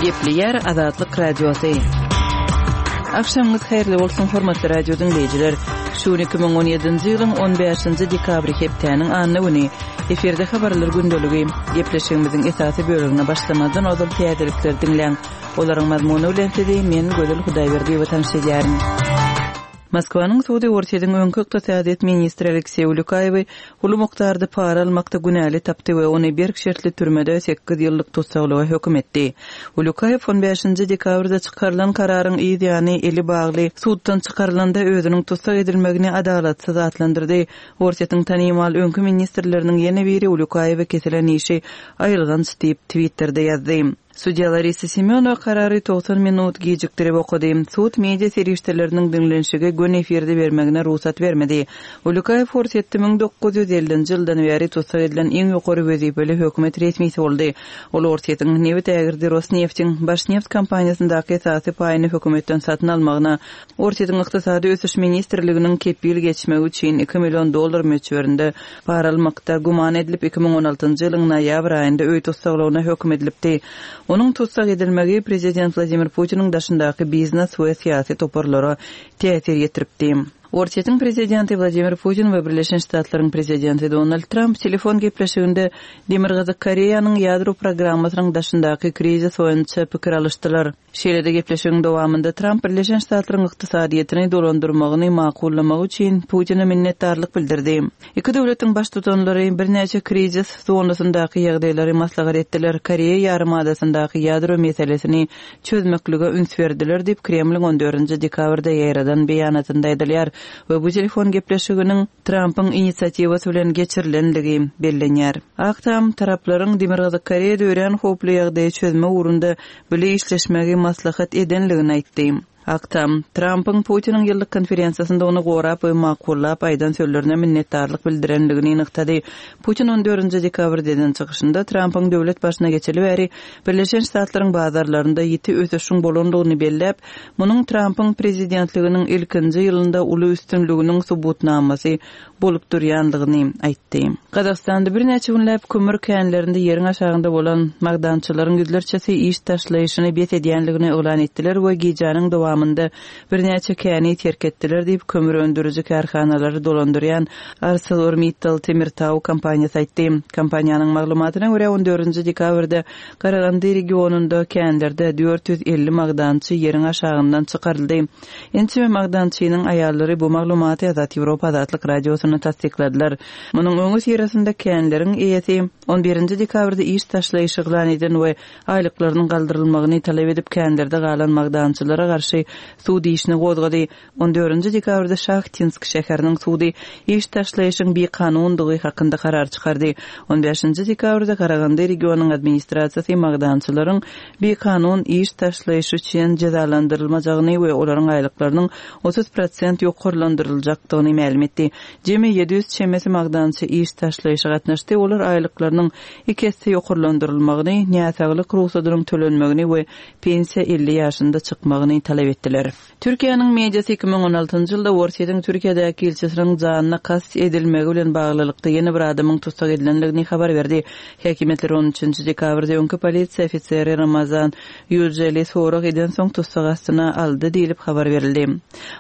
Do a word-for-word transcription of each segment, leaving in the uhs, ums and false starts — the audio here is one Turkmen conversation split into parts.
Gepleýär Azatlyk Radiosy. Agşamyňyz haýyrly bolsun, hormatly radio diňleýjiler. Şu gün iki müň on ýedinji ýylyň on bäşinji dekabry hepdäniň anna güni. Efirde habarlar gündeligi. Gepleşigimiziň esasy bölegine başlamazdan ozal täzelikleri diňläň. Olaryň mazmuny bilen sizi men Gözel Hudaýberdiýewa tanyş edýärin. Moskwanyň sudy Orsýetiň öňki ykdysadyýet ministri Alekseý Ulýukaýewi uly mukdarda para almakda günäli tapdy we ony berk şertli türmede sekiz ýyllyk tussaglyga höküm etdi. Ulýukaýew on bäşinji dekabrda çykarylan kararyň yz ýany eli bagly suddan çykarylanda özüniň tussag edilmegini adalatsyz atlandyrdy. Orsýetiň tanymal öňki ministrleriniň ýene biri Ulýukaýewe kesilen işi aýylganç diýip Twitterde ýazdy. Sudýa Larisa Semýonowa karary togsan minut gijikdirip okady. Sud media serişdeleriniň diňlenişigi gün efirde bermegine rugsat bermedi. Ulýukaýew Orsýetde müň dokuz ýüz ellinji ýyldan bäri tussag edilen iň ýokary wezipeli hökümet resmisi boldy. Ol Orsýetiň nebit ägirdi Rosneftiň Başneft kompaniýasyndaky esasy paýyny hökümetden satyn almagyna, Orsýetiň Ykdysady ösüş ministrliginiň kepil geçmegi üçin iki million dollar möçberinde para almakda güman edilip iki müň on altynjy ýylyň noýabr aýynda öý tussaglygyna höküm edilipdi. Onuň tussag edilmegi prezident Wladimir Putiniň daşyndaky biznes we syýasy toparlara täsir ýetiripdi. Orsýetiň prezidenti Wladimir Putin we Birleşen Ştatlaryň prezidenti Donald Tramp telefon gepleşiginde Demirgazyk Koreýanyň ýadro programmasynyň daşyndaky krizis boýunça pikir alyşdylar. Şeýle-de gepleşigiň dowamynda Tramp Birleşen Ştatlaryň ykdysadyýetini dolandyrmagyny makullamagy üçin Putine minnetdarlyk bildirdi. Iki döwletiň baştutanlary birnäçe krizis zonasyndaky ýagdaýlary maslahat etdiler. Koreýa ýarymadasyndaky ýadro meselesini çözmeklige üns berdiler diýip Kremliň on dördünji dekabrda ýaýradan beýanatynda aýdylýar we bu telefon gepleşiginiň Trampyň inisiatiwasy bilen geçirilenligi bellenýär. Ak Tam taraplaryň Demirgazyk Koreýada örän howply ýagdaýy çözme ugrunda bile işleşmegi maslahat edenligini aýtdy. Ak Tam, Trampyň Putiniň ýyllyk konferensiýasynda ony gorap we makullap aýdan sözlerine minnetdarlyk bildirenligini nygtady. Putin on dördünji dekabrda eden çykyşynda Trampyň döwlet başyna geçeli bäri Birleşen Ştatlaryň bazarlarynda ýiti ösüşiň bolandygyny belläp, munuň Trampyň prezidentliginiň ilkinji ýylynda uly üstünliginiň subutnamasy bolup durýandygyny aýtdy. Gazagystanda birnäçe günläp kömür känlerinde ýeriň aşagynda bolan magdançylaryň ýüzlerçesi iş taşlaýşyny bes edýänligini yglan etdiler we gijäniň dowamynda birnäçe käni terk etdiler diýip kömür öndüriji kärhanalary dolandyrýan ArcelorMittal Temirtau kompaniýasy aýtdy. Kompaniýanyň maglumatyna görä on dördünji dekabrda Karagandy regionunda känlerde dört ýüz elli magdançy ýeriň aşagyndan çykaryldy. Ençeme magdançynyň aýallary bu maglumaty Azat Ýewropa Azatlyk Radiosyna tassykladylar. Munuň öňi syrasynda känleriň eýesi on birinji dekabrda iş taşlaýşy yglan eden we aýlyklarynyň galdyrylmagyny talap edip känlerde galan magdançylara garşy sud işini gozgady. On dördünji dekabrda Şahtinsk şäheriniň sudy iş taşlaýşyň bikanundygy hakynda karar çykardy. On bäşinji dekabrda Karagandy regionyň administrasiýasy magdançylaryň bikanun iş taşlaýşy üçin jezalandyrylmajagyny we olaryň aýlyklarynyň otuz prosent ýokarlandyryljakdygyny mälim etdi. Jemi ýedi ýüz çemesi magdançy iş taşlaýşy gatnaşdy. Olar aýlyklarynyň iki esse ýokarlandyrylmagyny, näsaglyk rugsadynyň tölenmegini we pensiýa elli ýaşynda çykmagyny talap etdiler. Türkiýäniň mediasy iki müň on altynjy ýylda Orsýetiň Türkiýedäki ilçisiniň janyna kast edilmegi bilen baglylykda ýene bir adamyň tussag edilenligini habar berdi. Häkimiýetler on üçünji dekabrda öňki polisiýa ofiseri Ramazan Ýüjeli sorag eden soň tussag astyna aldy diýlip habar berildi.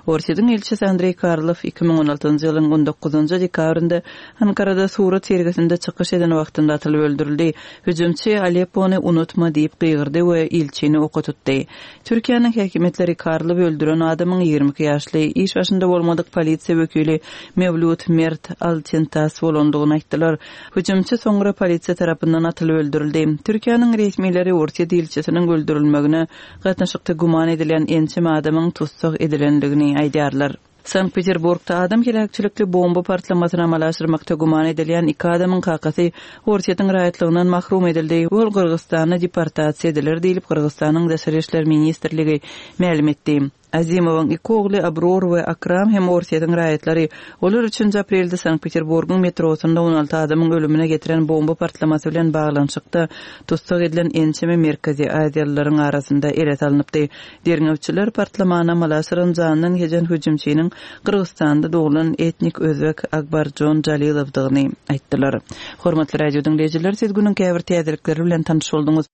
Orsýetiň ilçisi Andrei Karlov iki müň on altynjy ýylyň on dokuzynjy dekabrynda Ankarada surat sergisinde çykyş eden wagtynda atylyp öldürildi. Hüjümçi Aleppony unutma diýip gygyrdy we ilçini oka tutdy. Türkiýäniň häkimiýetleri Karlov öldüren adamyň ýigrimi iki ýaşly iş başynda bolmadyk polisiýa wekili Mevlut Mert Altintas bolandygyny aýtdylar. Hüjümçi soňra polisiýa tarapyndan atylyp öldürildi. Türkiýäniň resmileri Orsýet ilçisiniň öldürilmegine gatnaşykda güman edilen ençeme adamyň tussag edilenligini aýdýarlar. Sankt Peterburgda adam heläkçilikli bomba partlamasyny amala aşyrmakda güman edilýän iki adamyň kakasy Orsýetiň raýatlygyndan mahrum edildi. Ol Gyrgyzystana deportasiýa ediler diýlip Gyrgyzystanyň Daşary işler ministrligi mälim etdi. Azimowyň iki ogly Abror we Akram hem Orsýetiň raýatlary. Olar üçünji aprelde Sankt Peterburgyň metrosynda on alty adamyň ölümine getiren bomba partlamasy bilen baglanyşykda tussag edilen ençeme Merkezi Aziýalylaryň arasynda ele salynypdy. Derňewçiler partlamany amala aşyran jandan geçen hüjümçiniň Gyrgyzystanda doglan etnik özbek Akbarjon Jalilowdygyny aýtdylar. Hormatly radio diňleýjiler, siz günüň käbir täzelikleri bilen tanyş bolduňyz.